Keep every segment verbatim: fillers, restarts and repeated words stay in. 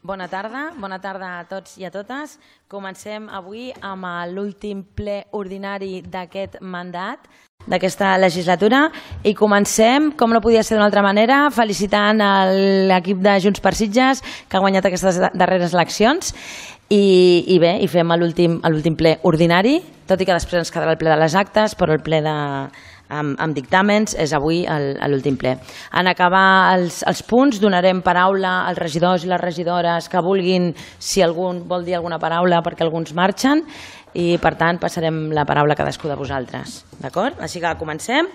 Bona tarda, bona tarda a tots i a totes. Comencem avui amb l'últim ple ordinari d'aquest mandat, d'aquesta legislatura, i comencem, com no podia ser d'una altra manera, felicitant l'equip de Junts per Sitges que ha guanyat aquestes darreres eleccions i, i bé, i fem l'últim ple ordinari, tot i que després ens quedarà el ple de les actes, però el ple de... Amb, amb dictàmens, és avui l'últim ple. En acabar els, els punts donarem paraula als regidors i les regidores que vulguin, si algun vol dir alguna paraula, perquè alguns marxen, i per tant passarem la paraula a cadascú de vosaltres. D'acord? Així que comencem.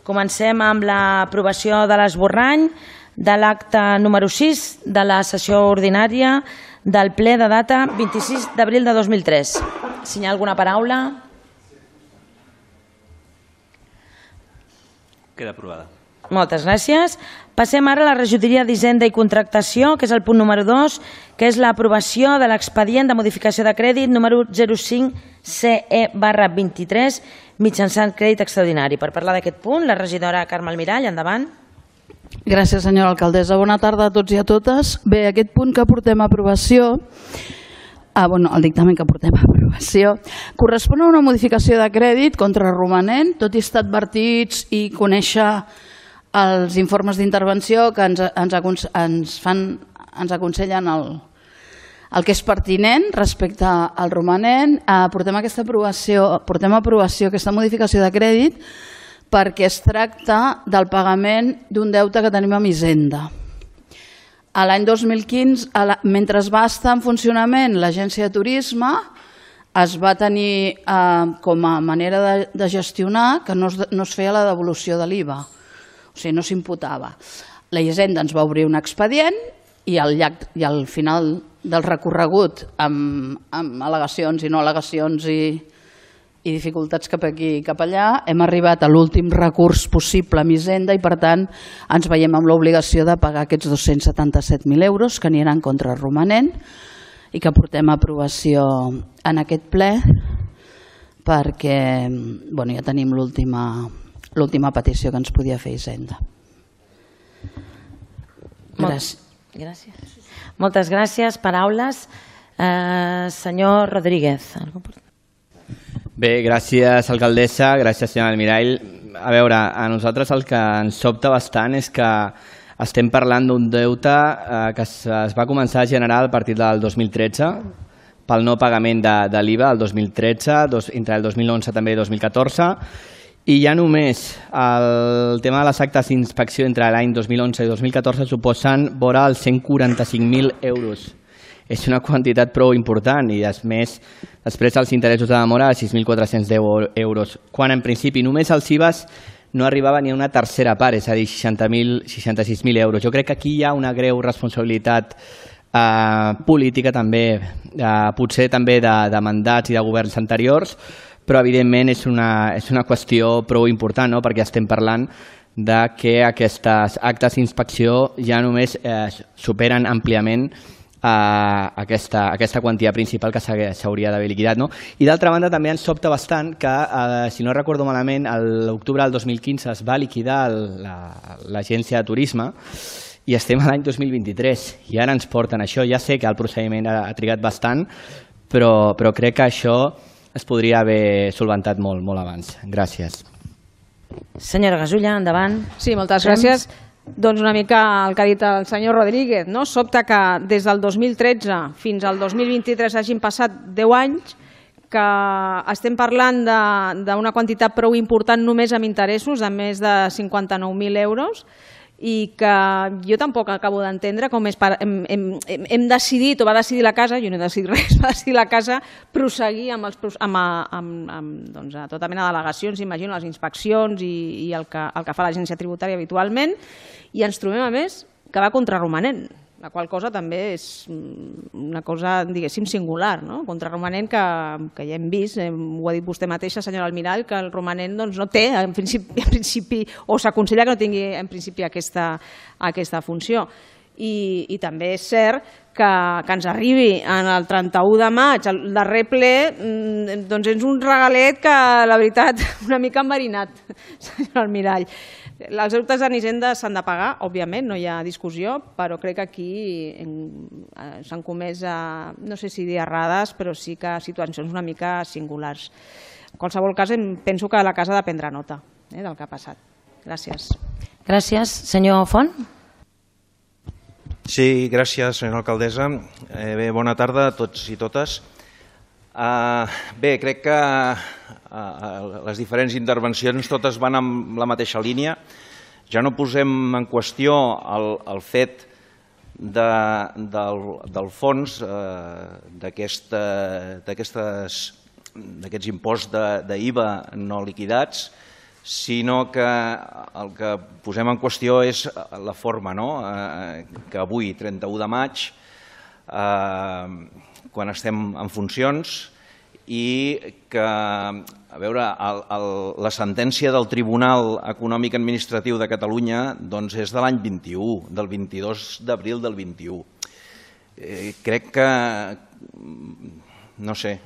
Comencem amb l'aprovació de l'esborrany de l'acte número sis de la sessió ordinària del ple de data vint-i-sis d'abril de dos mil tres. Si hi ha alguna paraula... Queda aprovada. Moltes gràcies. Passem ara a la regidoria d'Hisenda i Contractació, que és el punt número dos, que és l'aprovació de l'expedient de modificació de crèdit número zero cinc C E barra vint-i-tres mitjançant crèdit extraordinari. Per parlar d'aquest punt, la regidora Carme Almirall, endavant. Gràcies, senyora alcaldessa. Bona tarda a tots i a totes. Bé, aquest punt que portem a aprovació, ah, bueno, el dictamen que portem a aprovació, correspon a una modificació de crèdit contra romanent, tot i estar advertits i conèixer els informes d'intervenció que ens, ens, ens, fan, ens aconsellen el, el que és pertinent respecte al romanent. Eh, portem aquesta aprovació, portem a aprovació aquesta modificació de crèdit perquè es tracta del pagament d'un deute que tenim amb Hisenda. L'any dos mil quinze, mentre va estar en funcionament l'agència de turisme, es va tenir eh, com a manera de, de gestionar que no es, no es feia la devolució de l'I V A, o sigui, no s'imputava. La Hisenda ens va obrir un expedient i al, llarg, i al final del recorregut, amb, amb al·legacions i no al·legacions i, i dificultats cap aquí i cap allà, hem arribat a l'últim recurs possible amb Hisenda i, per tant, ens veiem amb l'obligació de pagar aquests dos-cents setanta-set mil euros que aniran contra el romanent i que portem a aprovació en aquest ple perquè bueno, ja tenim l'última petició que ens podia fer Hisenda. Gràcies. Gràcies. Moltes gràcies. Paraules. Eh, senyor Rodríguez. Bé, gràcies alcaldessa, gràcies senyora Almirall. A veure, a nosaltres el que ens sobta bastant és que estem parlant d'un deute eh, que es, es va començar a generar a partir del dos mil tretze pel no pagament de, de l'I V A el dos mil tretze, dos, entre el dos mil onze també i dos mil catorze, i ja només el tema de les actes d'inspecció entre l'any dos mil onze i dos mil catorze suposen vora els cent quaranta-cinc mil euros. És una quantitat prou important i més, després els interessos de demora de sis mil quatre-cents deu euros, quan en principi només els I V As no arribava ni a una tercera part, és a dir, seixanta-sis mil euros. Jo crec que aquí hi ha una greu responsabilitat eh, política també, eh, potser també de, de mandats i de governs anteriors, però evidentment és una, és una qüestió prou important, no? Perquè estem parlant de que aquestes actes d'inspecció ja només eh, superen àmpliament Uh, aquesta, aquesta quantia principal que s'hauria d'haver liquidat. No? I d'altra banda també ens sobta bastant que, uh, si no recordo malament, a l'octubre del dos mil quinze es va liquidar l'agència la, de turisme i estem a l'any dos mil vint-i-tres i ara ens porten això. Ja sé que el procediment ha, ha trigat bastant, però, però crec que això es podria haver solventat molt, molt abans. Gràcies. Senyora Gasulla, endavant. Sí, moltes gràcies. Doncs una mica el que ha dit el senyor Rodríguez, no? Sobta que des del dos mil tretze fins al dos mil vint-i-tres hagin passat deu anys, que estem parlant d'una quantitat prou important només amb interessos de més de cinquanta-nou mil euros i que jo tampoc acabo d'entendre com és per, hem, hem, hem decidit, o va decidir la casa, jo no he decidit res, va decidir la casa proseguir amb, els, amb, amb, amb doncs, tota mena d'al·legacions, imagino, les inspeccions i, i el, que, el que fa l'agència tributària habitualment, i ens trobem a més que va contra romanent, la qual cosa també és una cosa, diguéssim, singular, no? Contra romanent que, que ja hem vist, ho ha dit vostè mateixa, senyora Almirall, que el romanent doncs, no té, en principi, en principi o s'aconsella que no tingui en principi aquesta, aquesta funció. I, i també és cert que, que ens arribi en el trenta-u de maig, el darrer ple, doncs és un regalet que, la veritat, una mica enverinat, senyora Almirall. Els deutes en Hisenda s'han de pagar, òbviament, no hi ha discussió, però crec que aquí s'han comès, no sé si dir errades, però sí que situacions una mica singulars. En qualsevol cas, penso que la casa ha de prendre nota del que ha passat. Gràcies. Gràcies. Senyor Font? Sí, gràcies, senyora alcaldessa. Bé, bona tarda a tots i totes. Bé, crec que les diferents intervencions totes van en la mateixa línia. Ja no posem en qüestió el fet del fons d'aquests imposts d'I V A no liquidats, sinó que el que posem en qüestió és la forma, que avui, trenta-u de maig, quan estem en funcions, i que, a veure, la sentència del Tribunal Econòmic Administratiu de Catalunya és de l'any vint-i-u, del vint-i-dos d'abril del vint-i-u. Crec que, no sé,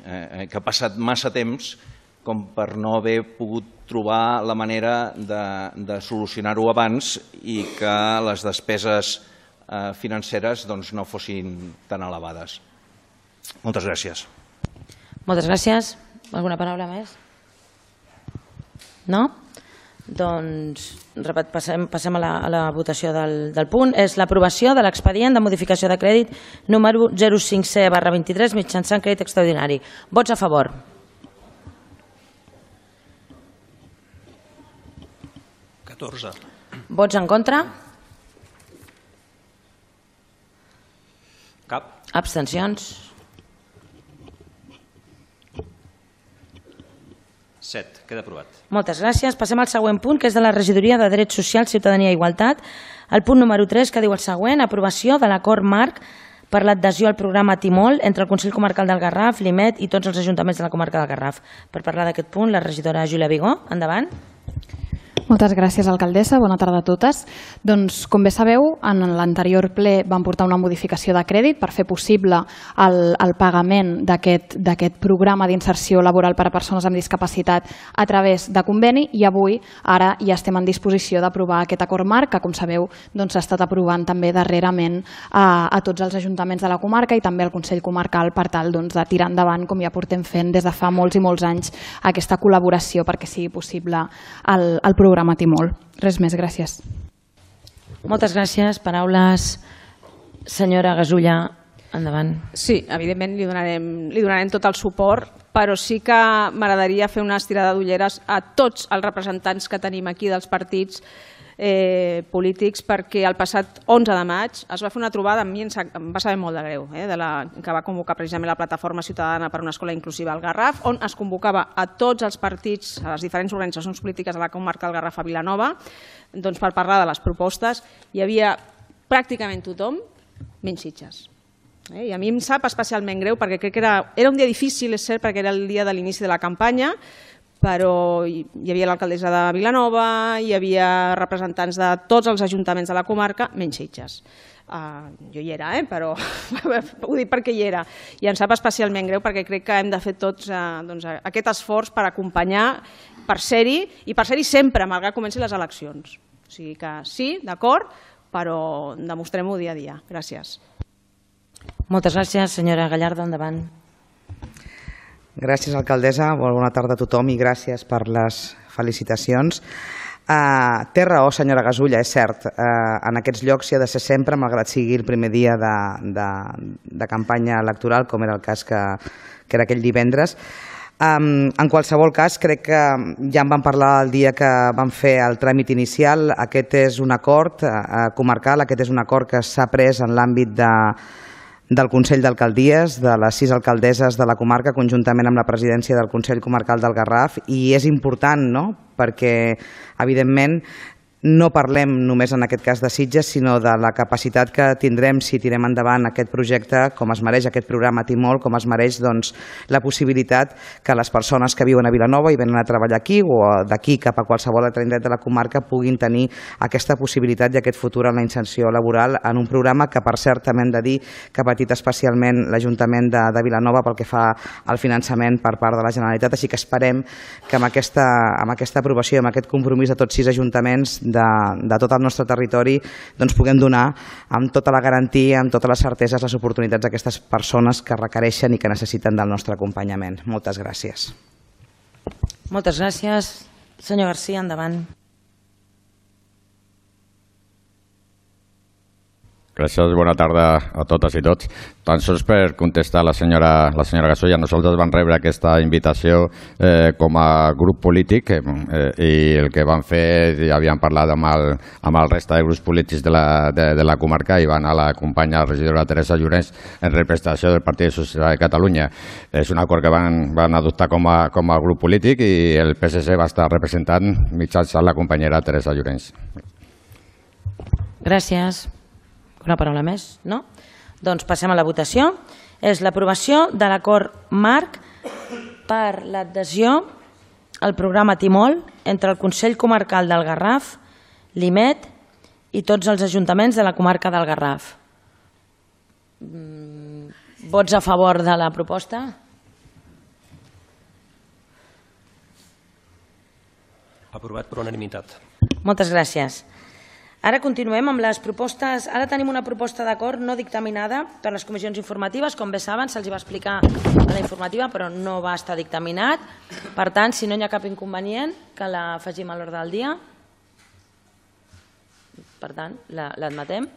que ha passat massa temps com per no haver pogut trobar la manera de solucionar-ho abans i que les despeses financeres no fossin tan elevades. Moltes gràcies. Moltes gràcies. Alguna paraula més? No? Doncs passem a la votació del punt. És l'aprovació de l'expedient de modificació de crèdit número zero cinc C barra vint-i-tres mitjançant crèdit extraordinari. Vots a favor? catorze. Vots en contra? Cap. Abstencions? set. Queda aprovat. Moltes gràcies. Passem al següent punt, que és de la regidoria de Drets Socials, Ciutadania i Igualtat. El punt número tres, que diu el següent: aprovació de l'acord marc per l'adhesió al programa Timol entre el Consell Comarcal del Garraf, l'I M E T i tots els ajuntaments de la comarca del Garraf. Per parlar d'aquest punt, la regidora Júlia Vigó. Endavant. Moltes gràcies, alcaldessa. Bona tarda a totes. Doncs, com bé sabeu, en l'anterior ple vam portar una modificació de crèdit per fer possible el, el pagament d'aquest programa d'inserció laboral per a persones amb discapacitat a través de conveni, i avui ara ja estem en disposició d'aprovar aquest acord marc, que, com sabeu, doncs, s'ha estat aprovant també darrerament a, a tots els ajuntaments de la comarca i també al Consell Comarcal, per tal doncs, de tirar endavant, com ja portem fent des de fa molts i molts anys, aquesta col·laboració perquè sigui possible el, el programa Timol. Res més, gràcies. Moltes gràcies. Paraules, senyora Gasulla, endavant. Sí, evidentment li donarem, li donarem tot el suport, però sí que m'agradaria fer una estirada d'ulleres a tots els representants que tenim aquí dels partits eh, polítics, perquè el passat onze de maig es va fer una trobada, a mi em va saber molt de greu, eh, de la, que va convocar precisament la Plataforma Ciutadana per una Escola Inclusiva al Garraf, on es convocava a tots els partits, a les diferents organitzacions polítiques de la comarca del Garraf a Vilanova, doncs, per parlar de les propostes. Hi havia pràcticament tothom, menys Sitges. Eh, I a mi em sap especialment greu, perquè crec que era, era un dia difícil, és cert, perquè era el dia de l'inici de la campanya, però hi havia l'alcaldessa de Vilanova, hi havia representants de tots els ajuntaments de la comarca, menys Sitges. Uh, jo hi era, eh? Però ho dic perquè hi era. I em sap especialment greu perquè crec que hem de fer tots uh, doncs, aquest esforç per acompanyar, per ser-hi, i per ser-hi sempre, malgrat que comencin les eleccions. O sigui que sí, d'acord, però demostrem-ho dia a dia. Gràcies. Moltes gràcies, senyora Gallardo, endavant. Gràcies, alcaldessa. Bona tarda a tothom i gràcies per les felicitacions. Uh, té raó, senyora Gasulla, és cert. Uh, en aquests llocs s'hi ha de ser sempre, malgrat sigui el primer dia de, de, de campanya electoral, com era el cas que, que era aquell divendres. Um, en qualsevol cas, crec que ja en vam parlar el dia que vam fer el tràmit inicial. Aquest és un acord uh, comarcal, aquest és un acord que s'ha pres en l'àmbit de del Consell d'Alcaldies, de les sis alcaldesses de la comarca, conjuntament amb la presidència del Consell Comarcal del Garraf, i és important, no?, perquè, evidentment, no parlem només en aquest cas de Sitges, sinó de la capacitat que tindrem si tirem endavant aquest projecte, com es mereix aquest programa Timol, com es mereix doncs, la possibilitat que les persones que viuen a Vilanova i venen a treballar aquí o d'aquí cap a qualsevol altre indret de la comarca puguin tenir aquesta possibilitat i aquest futur en la inserció laboral en un programa que, per cert, també hem de dir que ha patit especialment l'Ajuntament de, de Vilanova pel que fa al finançament per part de la Generalitat, així que esperem que amb aquesta, amb aquesta aprovació i amb aquest compromís de tots sis ajuntaments de, de tot el nostre territori doncs puguem donar amb tota la garantia, amb totes les certeses, les oportunitats a aquestes persones que requereixen i que necessiten del nostre acompanyament. Moltes gràcies. Moltes gràcies. Senyor Garcia, endavant. Gràcies, bona tarda a totes i tots. Tan sols per contestar a la senyora, la senyora Gasulla, nosaltres vam rebre aquesta invitació eh, com a grup polític eh, i el que vam fer, ja havíem parlat amb el, amb el resta de grups polítics de la, de, de la comarca i va anar a l'acompanyar la regidora Teresa Llorenç en representació del Partit Socialista de Catalunya. És un acord que van, van adoptar com a, com a grup polític i el P S C va estar representant mitjançant la companyera Teresa Llorenç. Gràcies. Una paraula més? No? Doncs passem a la votació. És l'aprovació de l'acord marc per l'adhesió al programa Timol entre el Consell Comarcal del Garraf, l'I M E T i tots els ajuntaments de la comarca del Garraf. Vots a favor de la proposta? Aprovat per unanimitat. Moltes gràcies. Ara continuem amb les propostes. Ara tenim una proposta d'acord no dictaminada per les comissions informatives. Com bé saben, se'ls va explicar a la informativa, però no va estar dictaminat. Per tant, si no hi ha cap inconvenient, que l'afegim a l'ordre del dia. Per tant, l'admetem.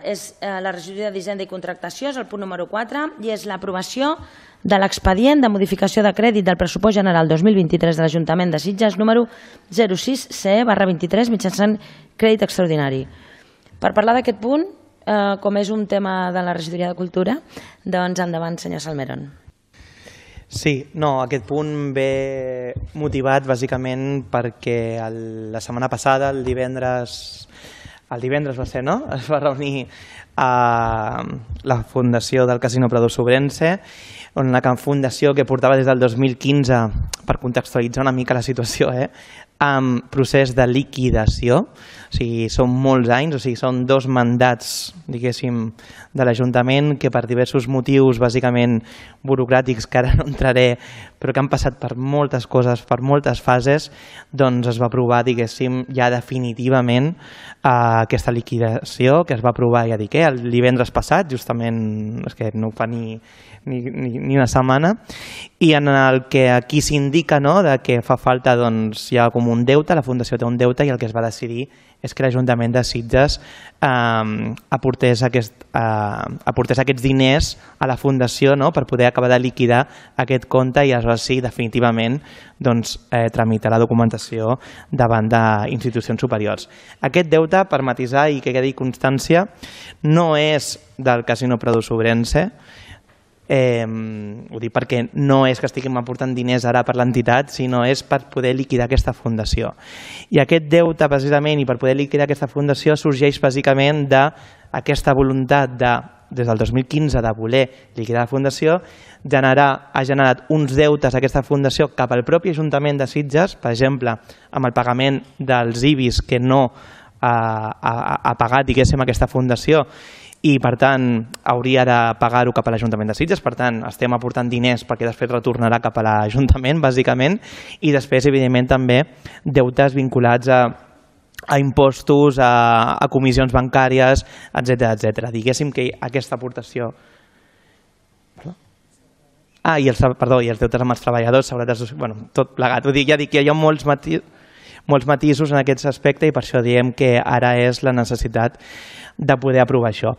És la regidoria d'Hisenda i Contractació, és el punt número quatre, i és l'aprovació de l'expedient de modificació de crèdit del pressupost general dos mil vint-i-tres de l'Ajuntament de Sitges número zero sis C E barra vint-i-tres mitjançant crèdit extraordinari. Per parlar d'aquest punt, com és un tema de la regidoria de Cultura, doncs endavant, senyor Salmeron. Sí, no, aquest punt ve motivat bàsicament perquè la setmana passada, el divendres, el divendres va ser, no? Es va reunir a la Fundació del Casino Prado Sobrense, on la fundació que portava des del dos mil quinze, per contextualitzar una mica la situació, eh, amb procés de liquidació, o sigui, són molts anys, o sigui, són dos mandats, diguéssim, de l'Ajuntament que per diversos motius, bàsicament burocràtics, que ara no entraré, però que han passat per moltes coses, per moltes fases, doncs es va aprovar, diguéssim, ja definitivament eh, aquesta liquidació, que es va aprovar, ja dic, eh, el divendres passat, justament, és que no fa ni, ni, ni, ni una setmana, i en el que aquí s'indica, no?, de que fa falta, doncs, hi ha com un deute, la Fundació té un deute, i el que es va decidir és que l'Ajuntament de Sitges eh, aportés, aquest, eh, aportés aquests diners a la Fundació, no?, per poder acabar de liquidar aquest compte i aleshores sí, definitivament, doncs, eh, tramitar la documentació davant d'institucions superiors. Aquest deute, per matisar i que quedi constància, no és del Casino Prado Sobrense. Eh, ho dic perquè no és que estiguem aportant diners ara per l'entitat, sinó és per poder liquidar aquesta fundació. I aquest deute, precisament, i per poder liquidar aquesta fundació, sorgeix bàsicament d'aquesta voluntat de, des del dos mil quinze, de voler liquidar la fundació, generar, ha generat uns deutes a aquesta fundació cap al propi Ajuntament de Sitges, per exemple, amb el pagament dels I B I S que no ha, ha, ha pagat, diguéssim, aquesta fundació, i per tant hauria de pagar-ho cap a l'Ajuntament de Sitges, per tant estem aportant diners perquè després retornarà cap a l'Ajuntament, bàsicament, i després, evidentment, també deutes vinculats a, a impostos, a, a comissions bancàries, etcètera, etcètera. Diguéssim que aquesta aportació... Ah, i els, perdó, i els deutes amb els treballadors, seguretat, bueno, tot plegat. Vull dir, ja dic que hi ha molts matisos, molts matisos en aquest aspecte i per això diem que ara és la necessitat de poder aprovar això.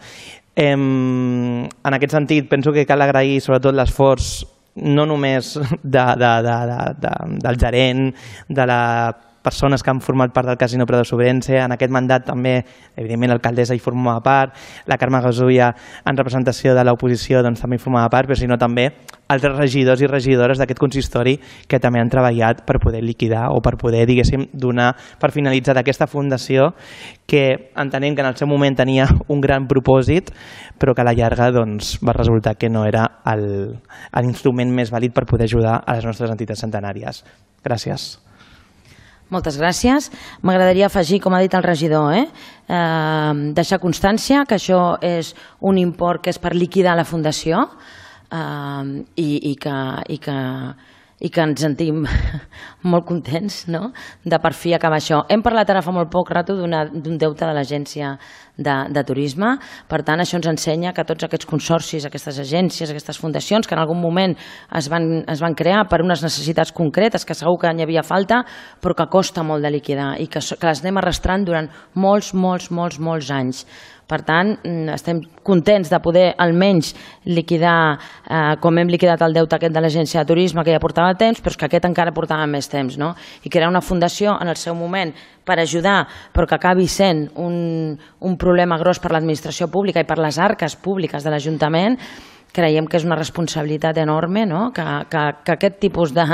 Eh, en aquest sentit, penso que cal agrair sobretot l'esforç no només de, de, de, de, de, del gerent, de les persones que han format part del Casino Prado Sobrense, en aquest mandat també, evidentment, l'alcaldessa hi formava part, la Carme Gasulla, en representació de l'oposició, doncs, també hi formava part, però sinó també altres regidors i regidores d'aquest consistori que també han treballat per poder liquidar o per poder, diguéssim, donar per finalitzar aquesta fundació que entenem que en el seu moment tenia un gran propòsit, però que a la llarga doncs, va resultar que no era l'instrument més vàlid per poder ajudar a les nostres entitats centenàries. Gràcies. Moltes gràcies. M'agradaria afegir, com ha dit el regidor, eh? Eh, deixar constància que això és un import que és per liquidar la fundació eh, i, i, que, i, que, i que ens sentim molt contents, no?, de per fi acabar això. Hem parlat ara fa molt poc rato d'un deute de l'Agència de, de Turisme, per tant això ens ensenya que tots aquests consorcis, aquestes agències, aquestes fundacions que en algun moment es van, es van crear per unes necessitats concretes que segur que n'hi havia falta, però que costa molt de liquidar i que, que les anem arrastrant durant molts, molts, molts, molts anys. Per tant, estem contents de poder almenys liquidar, eh, com hem liquidat el deute aquest de l'Agència de Turisme, que ja portava temps, però és que aquest encara portava més temps, no? I crear una fundació en el seu moment per ajudar, però que acabi sent un, un problema gros per l'administració pública i per les arques públiques de l'Ajuntament, creiem que és una responsabilitat enorme, no?, que, que, que aquest tipus de,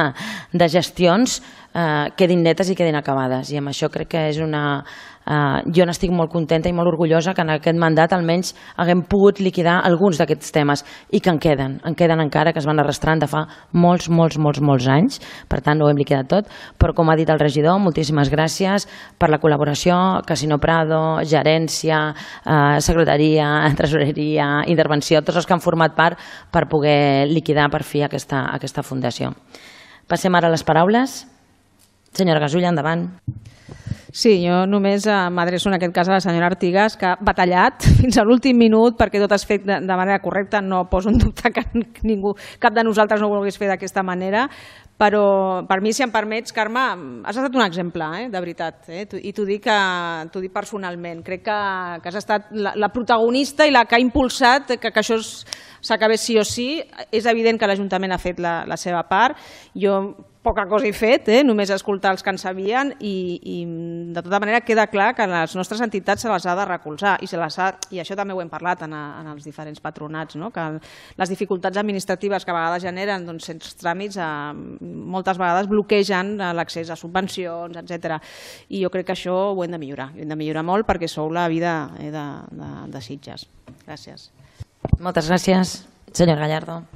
de gestions eh, quedin netes i quedin acabades. I amb això crec que és una... Uh, jo n'estic molt contenta i molt orgullosa que en aquest mandat almenys haguem pogut liquidar alguns d'aquests temes i que en queden, en queden encara, que es van arrastrant de fa molts, molts, molts, molts anys, per tant no ho hem liquidat tot, però com ha dit el regidor, moltíssimes gràcies per la col·laboració, Casino Prado, gerència, uh, secretaria, tresoreria, intervenció, tots els que han format part per poder liquidar per fi aquesta, aquesta fundació. Passem ara a les paraules. Senyora Gasulla, endavant. Sí, jo només m'adreço en aquest cas a la senyora Artigas, que ha batallat fins a l'últim minut perquè tot es fet de, de manera correcta. No poso en dubte que ningú, cap de nosaltres no ho volgués fer d'aquesta manera, però per mi, si em permets, Carme, has estat un exemple, eh, de veritat, eh? I t'ho dic, dic personalment. Crec que, que has estat la, la protagonista i la que ha impulsat que, que això s'acabés sí o sí. És evident que l'Ajuntament ha fet la, la seva part. Jo poca cosa he fet, eh? Només escoltar els que en sabien i, i de tota manera queda clar que les nostres entitats se les ha de recolzar i, se les ha, i això també ho hem parlat en, a, en els diferents patronats, no? Que les dificultats administratives que a vegades generen, doncs, sense tràmits, eh, moltes vegades bloquegen l'accés a subvencions, etcètera. I jo crec que això ho hem de millorar, ho hem de millorar molt perquè sou la vida eh, de, de, de Sitges. Gràcies. Moltes gràcies, senyor Gallardo.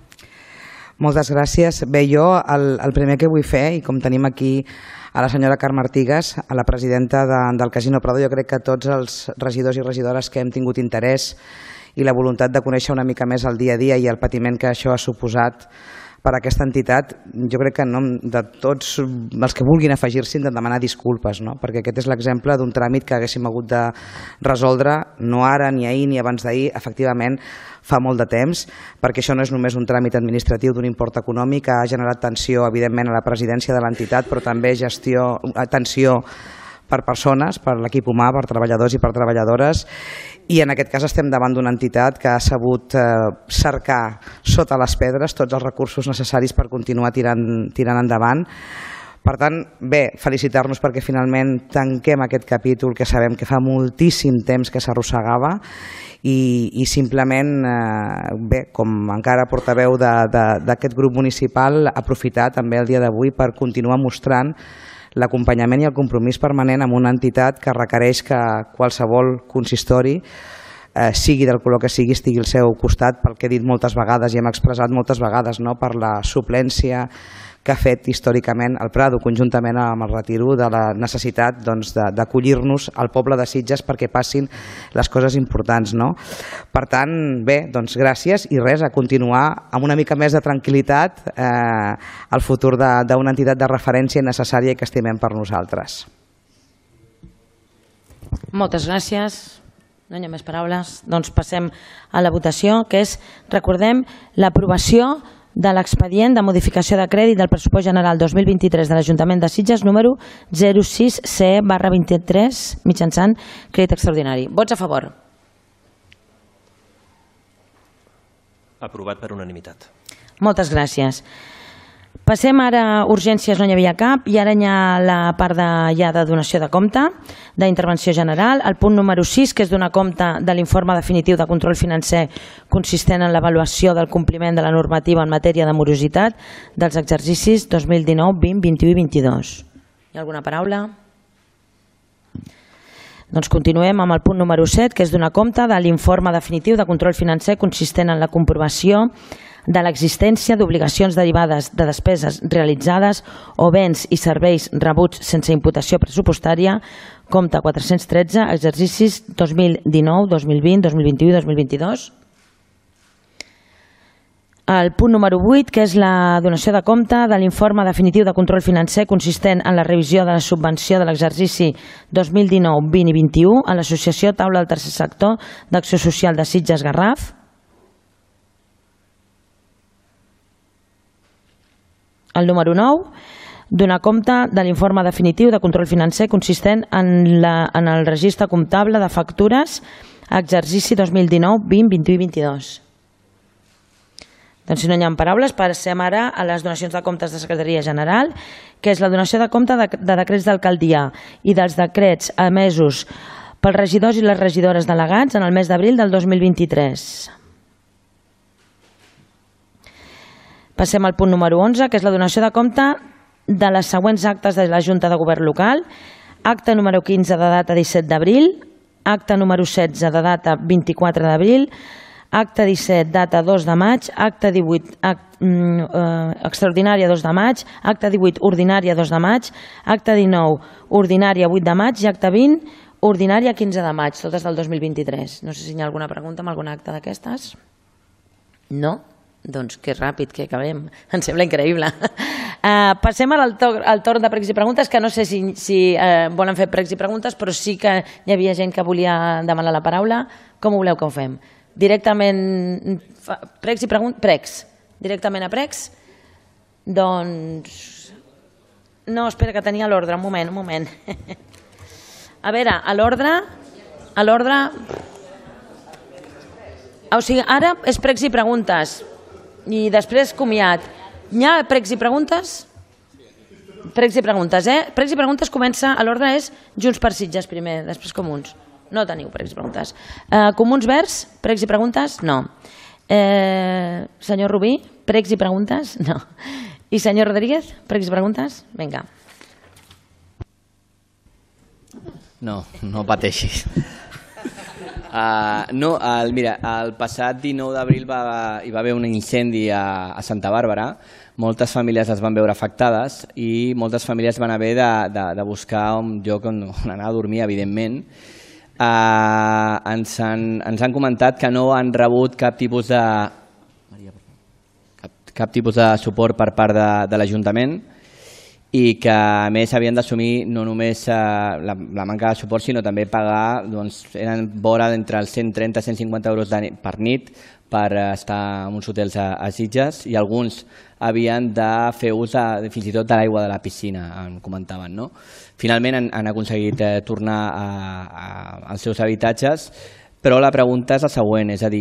Moltes gràcies. Bé, jo el, el primer que vull fer, i com tenim aquí a la senyora Carme Artigas, a la presidenta de, del Casino Prado, jo crec que tots els regidors i regidores que hem tingut interès i la voluntat de conèixer una mica més el dia a dia i el patiment que això ha suposat per a aquesta entitat, jo crec que en nom de tots els que vulguin afegir-s'hi hem de demanar disculpes, no? Perquè aquest és l'exemple d'un tràmit que haguéssim hagut de resoldre no ara, ni ahir, ni abans d'ahir, efectivament fa molt de temps, perquè això no és només un tràmit administratiu d'un import econòmic, que ha generat tensió, evidentment, a la presidència de l'entitat, però també gestió, tensió per persones, per l'equip humà, per treballadors i per treballadores, i en aquest cas estem davant d'una entitat que ha sabut eh, cercar sota les pedres tots els recursos necessaris per continuar tirant, tirant endavant. Per tant, bé, felicitar-nos perquè finalment tanquem aquest capítol que sabem que fa moltíssim temps que s'arrossegava i, i simplement, eh, bé, com encara portaveu d'aquest grup municipal, aprofitar també el dia d'avui per continuar mostrant l'acompanyament i el compromís permanent amb una entitat que requereix que qualsevol consistori, eh, sigui del color que sigui, estigui al seu costat, pel que he dit moltes vegades i hem expressat moltes vegades, no?, per la suplència que ha fet històricament el Prado, conjuntament amb el retiro de la necessitat doncs, d'acollir-nos al poble de Sitges perquè passin les coses importants, no? Per tant, bé, doncs gràcies i res, a continuar amb una mica més de tranquil·litat eh, el futur d'una entitat de referència necessària i que estimem per nosaltres. Moltes gràcies. No hi ha més paraules. Doncs passem a la votació, que és, recordem, l'aprovació de l'expedient de modificació de crèdit del pressupost general dos mil vint-i-tres de l'Ajuntament de Sitges número zero sis C E barra vint-i-tres mitjançant crèdit extraordinari. Vots a favor? Aprovat per unanimitat. Moltes gràcies. Passem ara a urgències, no n'hi havia cap, i ara hi ha la part de, ja de donació de compte, d'intervenció general. El punt número sis, que és donar compte de l'informe definitiu de control financer consistent en l'avaluació del compliment de la normativa en matèria de morositat dels exercicis dos mil dinou, vint, vint-i-u i vint-i-dos. Hi ha alguna paraula? Doncs continuem amb el punt número set, que és donar compte de l'informe definitiu de control financer consistent en la comprovació de l'existència d'obligacions derivades de despeses realitzades o béns i serveis rebuts sense imputació pressupostària, compte quatre-cents tretze, exercicis dos mil dinou, dos mil vint, dos mil vint-i-u i dos mil vint-i-dos. El punt número vuit, que és la donació de compte de l'informe definitiu de control financer consistent en la revisió de la subvenció de l'exercici dos mil dinou, vint i vint-i-u a l'Associació Taula del Tercer Sector d'Acció Social de Sitges Garraf. El número nou, donar compte de l'informe definitiu de control financer consistent en, la, en el registre comptable de factures exercici dos mil dinou, vint, vint-i-u i vint-i-dos. Doncs si no hi ha paraules, passem ara a les donacions de comptes de Secretaria General, que és la donació de compte de, de decrets d'alcaldia i dels decrets emesos pels regidors i les regidores delegats en el mes d'abril del dos mil vint-i-tres. Passem al punt número onze, que és la donació de compte de les següents actes de la Junta de Govern Local. Acte número quinze de data disset d'abril, acte número setze de data vint-i-quatre d'abril, acte disset, data dos de maig, acte divuit, act, mm, eh, extraordinària dos de maig, acte divuit, ordinària dos de maig, acte dinou, ordinària vuit de maig i acte vint, ordinària quinze de maig, totes del dos mil vint-i-tres. No sé si hi ha alguna pregunta amb algun acte d'aquestes. No? Doncs que ràpid que acabem. Em sembla increïble. Uh, passem al torn, al torn de pregs i preguntes, que no sé si, si uh, volen fer pregs i preguntes, però sí que hi havia gent que volia demanar la paraula. Com voleu que ho fem? Directament pregs i preguntes, pregs, directament a pregs. Doncs no, espera, que tenia l'ordre, un moment, un moment. A veure, a l'ordre, a l'ordre, o sigui, ara és pregs i preguntes i després comiat. Hi ha pregs i preguntes? Pregs i preguntes, eh? Pregs i preguntes comença, a l'ordre és Junts per Sitges primer, després Comuns. No teniu pregs i preguntes. Eh, Comuns Verds, pregs i preguntes? No. Eh, senyor Rubí, pregs i preguntes? No. I senyor Rodríguez, pregs i preguntes? Vinga. No, no pateixis. Uh, no, el, mira, el passat dinou d'abril va, hi va haver un incendi a, a Santa Bàrbara. Moltes famílies es van veure afectades i moltes famílies van haver de, de, de buscar un lloc on, on anar a dormir, evidentment. Uh, ens, han, ens han comentat que no han rebut cap tipus de cap, cap tipus de suport per part de, de l'Ajuntament i que a més havien d'assumir no només uh, la, la manca de suport sinó també pagar, doncs eren vora d'entre els cent trenta a cent cinquanta euros de, per nit per estar en uns hotels a, a Sitges i alguns havien de fer ús de, fins i tot de l'aigua de la piscina, em comentaven, no? Finalment han, han aconseguit eh, tornar a, a, als seus habitatges, però la pregunta és la següent, és a dir,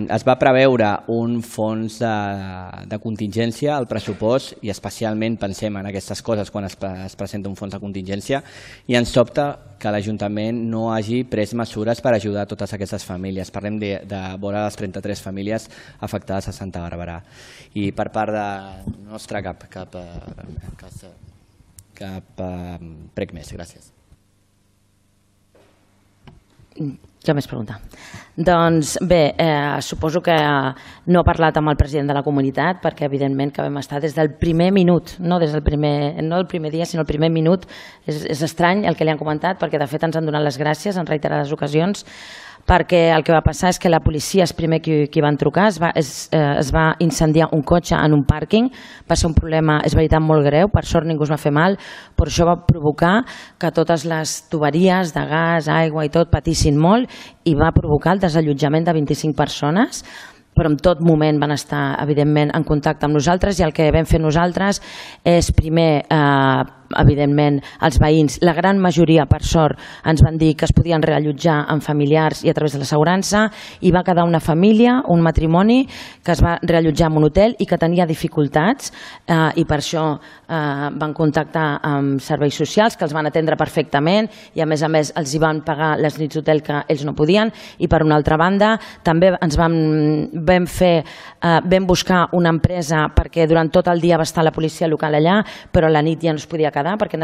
es va preveure un fons de, de contingència al pressupost i especialment pensem en aquestes coses quan es, es presenta un fons de contingència i ens sobta que l'Ajuntament no hagi pres mesures per ajudar totes aquestes famílies. Parlem de, de vora les trenta-tres famílies afectades a Santa Bàrbara. I per part de nostra cap, cap, cap, cap prec més. Gràcies. Què més pregunta? Doncs bé, eh, suposo que no ha parlat amb el president de la comunitat perquè evidentment que vam estar des del primer minut, no des del primer, no el primer dia sinó el primer minut. És, és estrany el que li han comentat perquè de fet ens han donat les gràcies en reiterades ocasions perquè el que va passar és que la policia és primer qui, qui van trucar, es va, es, eh, es va incendiar un cotxe en un pàrquing, va ser un problema, és veritat, molt greu, per sort ningú es va fer mal, però això va provocar que totes les tuberies de gas, aigua i tot patissin molt i va provocar el desallotjament de vint-i-cinc persones, però en tot moment van estar, evidentment, en contacte amb nosaltres i el que vam fer nosaltres és primer, eh, evidentment, els veïns, la gran majoria, per sort, ens van dir que es podien reallotjar amb familiars i a través de l'assegurança i va quedar una família, un matrimoni, que es va reallotjar en un hotel i que tenia dificultats eh, i per això eh, van contactar amb serveis socials que els van atendre perfectament i a més a més els hi van pagar les nits d'hotel que ells no podien i per una altra banda també ens vam, vam fer, eh, vam buscar una empresa perquè durant tot el dia va estar la policia local allà però a la nit ja no es podia quedar quedar perquè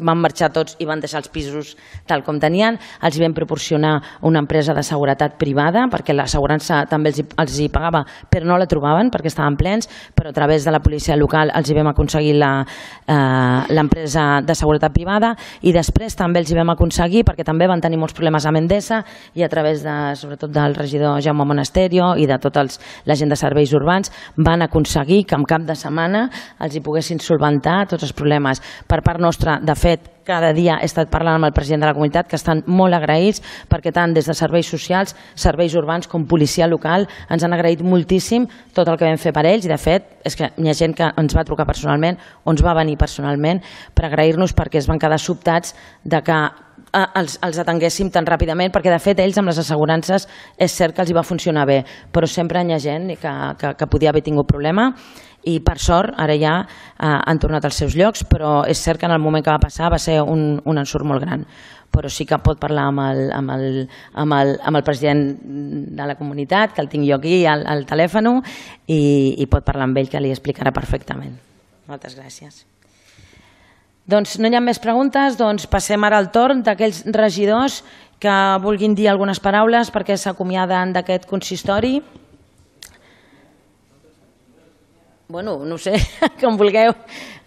van marxar tots i van deixar els pisos tal com tenien. Els vam proporcionar una empresa de seguretat privada perquè l'assegurança també els hi, els hi pagava, però no la trobaven perquè estaven plens, però a través de la policia local els hi vam aconseguir l'empresa eh, de seguretat privada, i després també els hi vam aconseguir, perquè també van tenir molts problemes amb Endesa, i a través de, sobretot del regidor Jaume Monasterio i de tota la gent de serveis urbans, van aconseguir que en cap de setmana els hi poguessin solventar tots els problemes. Per part nostra, de fet, cada dia he estat parlant amb el president de la comunitat, que estan molt agraïts perquè tant des de serveis socials, serveis urbans com policia local ens han agraït moltíssim tot el que vam fer per ells, i de fet és que hi ha gent que ens va trucar personalment o ens va venir personalment per agrair-nos perquè es van quedar sobtats de que els, els atenguéssim tan ràpidament, perquè de fet ells amb les assegurances és cert que els hi va funcionar bé, però sempre hi ha gent que, que, que podia haver tingut problema, i per sort ara ja eh, han tornat als seus llocs, però és cert que en el moment que va passar va ser un, un ensurt molt gran, però sí que pot parlar amb el, amb el, amb el, amb el president de la comunitat, que el tinc jo aquí al, al telèfon, i, i pot parlar amb ell, que li explicarà perfectament. Moltes gràcies. Doncs no hi ha més preguntes, doncs passem ara al torn d'aquells regidors que vulguin dir algunes paraules perquè s'acomiaden d'aquest consistori. Bueno, no sé, com vulgueu.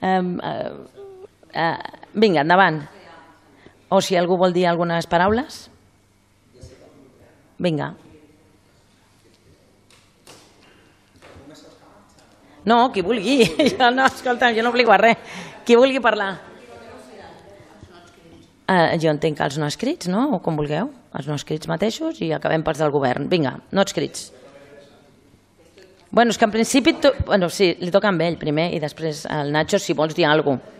Uh, uh, uh, vinga, endavant. O si algú vol dir algunes paraules. Vinga. No, qui vulgui. Jo no, escolta'm, jo no obligo a res. Qui vulgui parlar. Uh, jo entenc que els no escrits, no? O com vulgueu. Els no escrits mateixos i acabem pels del govern. Vinga, no escrits. Bueno, és que en principi, to... bueno, sí, li toca amb ell primer i després al Nacho si vols dir alguna cosa.